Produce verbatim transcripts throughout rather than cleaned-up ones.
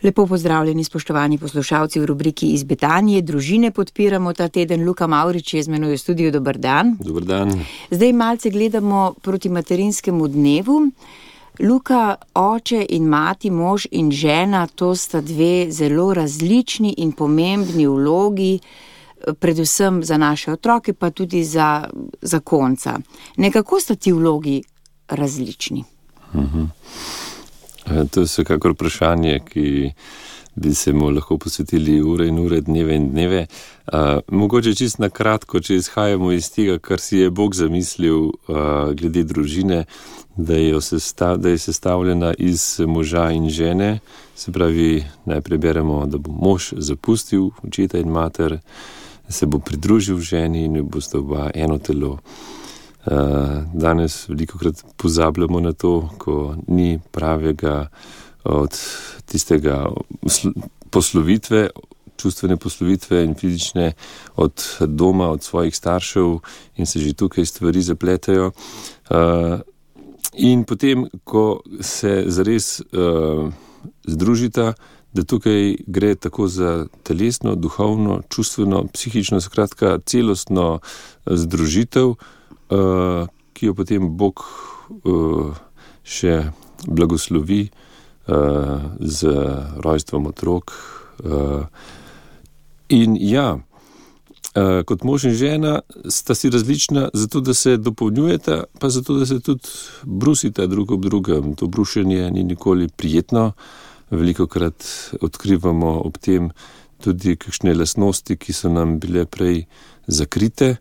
Lepo pozdravljeni, spoštovani poslušalci v rubriki Iz Betanije. Družine podpiramo ta teden. Luka Mavrič je z menoj v studiu. Dobar dan. Dobar dan. Zdaj malce gledamo proti materinskemu dnevu. Luka, oče in mati, mož in žena, to sta dve zelo različni in pomembni vlogi, predvsem za naše otroke, pa tudi za, za konca. Nekako sta ti vlogi različni? Uh-huh. To je vsekakor vprašanje, ki bi se mu lahko posvetili ure in ure, dneve in dneve. Uh, mogoče čisto na kratko, če izhajamo iz tega, kar si je Bog zamislil uh, glede družine, da je, sestav, da je sestavljena iz moža in žene. Se pravi, najprej beremo, da bo mož zapustil očeta in mater, se bo pridružil ženi in bosta oba eno telo. Danes velikokrat pozabljamo na to, ko ni pravega od tistega poslovitve, čustvene poslovitve in fizične od doma, od svojih staršev in se že tukaj stvari zapletajo. In potem, ko se zares združita, da tukaj gre tako za telesno, duhovno, čustveno, psihično, skratka celostno združitev, Uh, ki jo potem Bog uh, še blagoslovi uh, z rojstvom otrok. Uh, in ja, uh, kot mož in žena sta si različna zato, da se dopolnjujeta, pa zato, da se tudi brusita drug ob drugem. To brušenje ni nikoli prijetno. Velikokrat odkrivamo ob tem tudi kakšne lastnosti, ki so nam bile prej zakrite,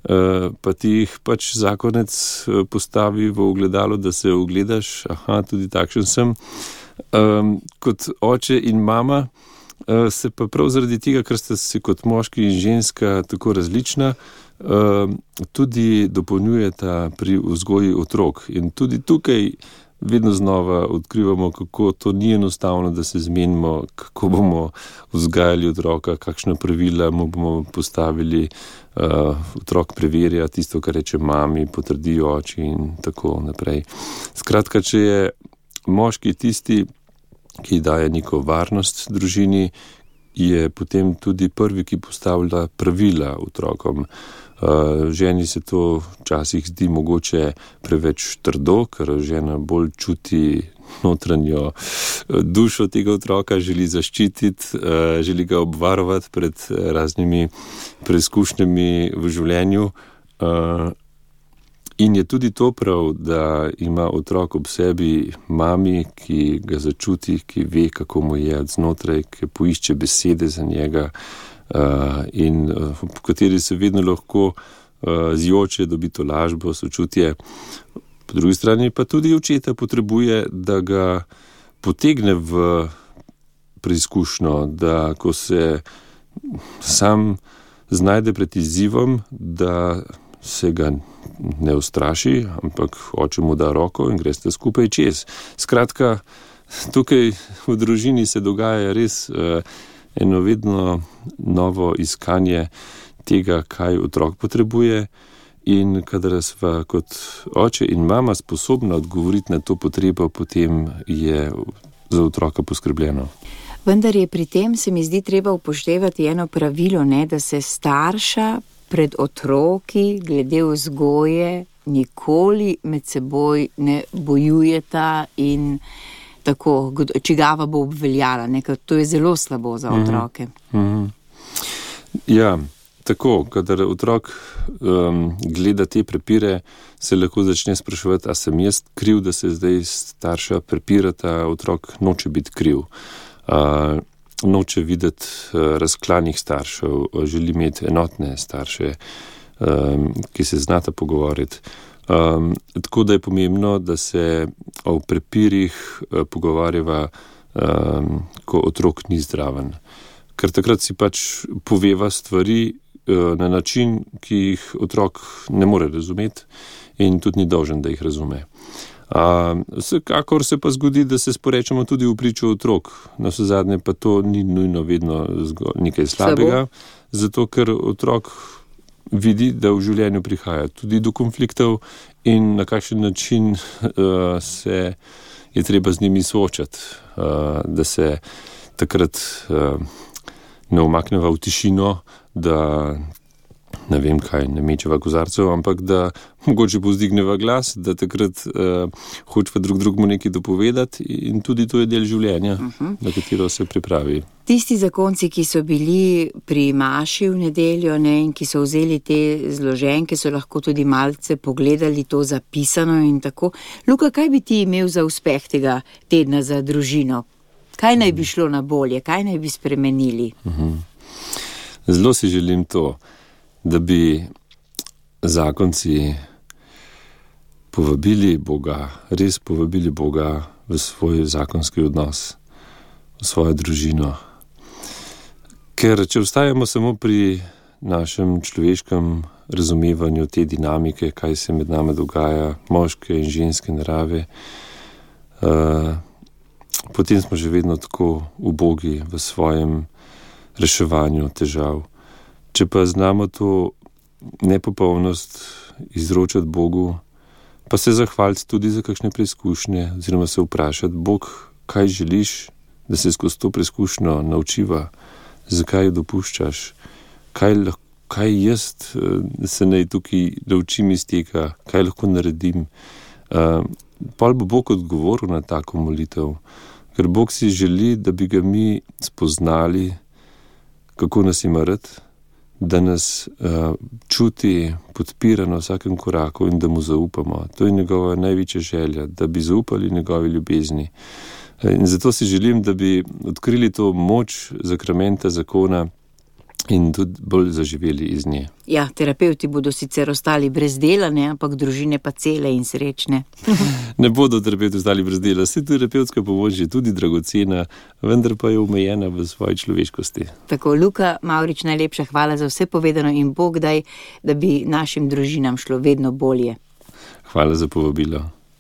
Uh, pa ti jih pač zakonec postavi v ogledalo, da se ogledaš, aha, tudi takšen sem. Um, kot oče in mama uh, se pa prav zaradi tega, ker sta se kot moški in ženska tako različna, uh, tudi dopolnjujeta pri vzgoji otrok. In tudi tukaj vedno znova odkrivamo, kako to ni enostavno, da se zmenimo, kako bomo vzgajali otroka, kakšna pravila mu bomo postavili. Uh, otrok preverja tisto, kar reče mami, potrdi oči in tako naprej. Skratka, če je moški tisti, ki daje neko varnost družini, je potem tudi prvi, ki postavlja pravila otrokom. Uh, ženi se to včasih zdi mogoče preveč trdo, ker žena bolj čuti notranjo dušo tega otroka, želi zaščititi, uh, želi ga obvarovati pred raznimi preizkušnjami v življenju. Uh, in je tudi to prav, da ima otrok ob sebi mami, ki ga začuti, ki ve, kako mu je od znotraj, ki poišče besede za njega, Uh, in uh, v kateri se vedno lahko uh, zjoče, dobi to lažbo, sočutje. Po drugi strani pa tudi očeta potrebuje, da ga potegne v preizkušnjo, da ko se sam znajde pred izzivom, da se ga ne ustraši, ampak oče mu da roko in greste skupaj čez. Skratka, tukaj v družini se dogaja res uh, eno vedno novo iskanje tega, kaj otrok potrebuje, in kadar sva kot oče in mama sposobna odgovoriti na to potrebo, potem je za otroka poskrbljeno. Vendar je pri tem, se mi zdi, treba upoštevati eno pravilo, ne, da se starša pred otroki glede vzgoje nikoli med seboj ne bojujeta in tako, čigava bo obveljala, nekaj, to je zelo slabo za otroke. Mm-hmm. Ja, tako, kadar otrok um, gleda te prepire, se lahko začne spraševati, a sem jaz kriv, da se zdaj starša prepirata, otrok noče biti kriv. Uh, noče videti uh, razklanih staršev, želi imeti enotne starše, um, ki se znata pogovoriti. Um, tako da je pomembno, da se o prepirih uh, pogovarjava, um, ko otrok ni zdraven. Ker takrat si pač poveva stvari uh, na način, ki jih otrok ne more razumeti in tudi ni dolžen, da jih razume. Uh, vsekakor se pa zgodi, da se sporečamo tudi v pričo otrok. Na vse zadnje pa to ni nujno vedno nekaj slabega, zato ker otrok vidi, da v življenju prihaja tudi do konfliktov in na kakšen način uh, se je treba z njimi soočati, uh, da se takrat uh, ne umakneva v tišino, da ne vem kaj, ne mečeva kozarcev, ampak da mogoče povzdigneva glas, da takrat uh, hočeva drug drugmu nekaj dopovedati in tudi to je del življenja, uh-huh. na katero se pripravi. Tisti zakonci, ki so bili pri maši v nedeljo, ne, in ki so vzeli te zloženke, so lahko tudi malce pogledali to zapisano in tako. Luka, kaj bi ti imel za uspeh tega tedna za družino? Kaj naj bi šlo na bolje? Kaj naj bi spremenili? Uh-huh. Zelo si želim to, da bi zakonci povabili Boga, res povabili Boga v svoj zakonski odnos, v svojo družino. Ker če ostajamo samo pri našem človeškem razumevanju te dinamike, kaj se med nami dogaja, moške in ženske narave, uh, potem smo že vedno tako ubogi v svojem reševanju težav. Če pa znamo to nepopolnost izročati Bogu, pa se zahvaliti tudi za kakšne preizkušnje, oziroma se vprašati, Bog, kaj želiš, da se skozi to preizkušnjo naučiva, zakaj jo dopuščaš, kaj, kaj jaz se naj tukaj naučim iz tega, kaj lahko naredim. Uh, pol bo Bog odgovoril na tako molitev, ker Bog si želi, da bi ga mi spoznali, kako nas ima rad, da nas uh, čuti, podpira na vsakem koraku in da mu zaupamo. To je njegova največja želja, da bi zaupali njegovi ljubezni. In zato si želim, da bi odkrili to moč zakramenta zakona in tudi bolj zaživeli iz nje. Ja, terapeuti bodo sicer ostali brez dela, ne, ampak družine pa cele in srečne. Ne bodo terapeuti ostali brez dela, saj terapevtska pomoč je tudi dragocena, vendar pa je omejena v svoji človeškosti. Tako, Luka Mavrič, najlepša hvala za vse povedano in Bog daj, da bi našim družinam šlo vedno bolje. Hvala za povabilo.